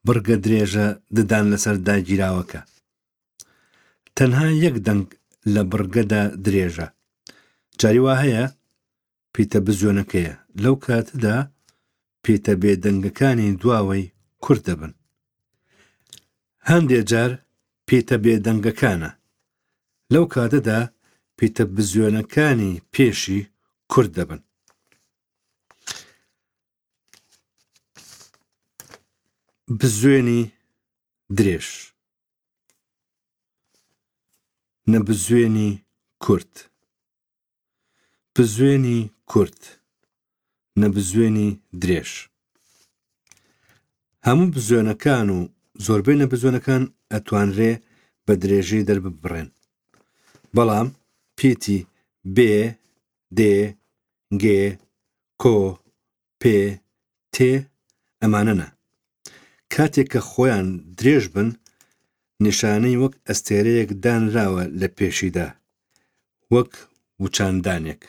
بڕگە درێژە ددان لەسەر داگیراوەکە. تەنها یەک دەنگ لە بڕگەدا درێژە. جاری وا هەیە پیتە بزوێنەکەیە، لەو کاتەدا پیتە بێدەنگەکانی دواوەی کورت دەبن. هەندێ جار پیتە بێدەنگەکانە، لەو کاتەدا پیتە بزوێنەکانی پێشی کورت دەبن. بزوێنی درێژ. نەبزوێنی کورت. بزوێنی کورت. نەبزوێنی درێژ. هەموو بزوێنەکان و زۆربەی نەبزوێنەکان ئەتوانرێ بە درێژی دەرببڕێن. بەڵام پیتی بێ، دێ، گێ، کۆ، پێ، تێ ئەمانە نا. کاتێک کە خۆیان درێژ بن، نیشانەی وەک ئەستێرەیەک دانراوە لە پێشیدا، وەک وچاندانێک.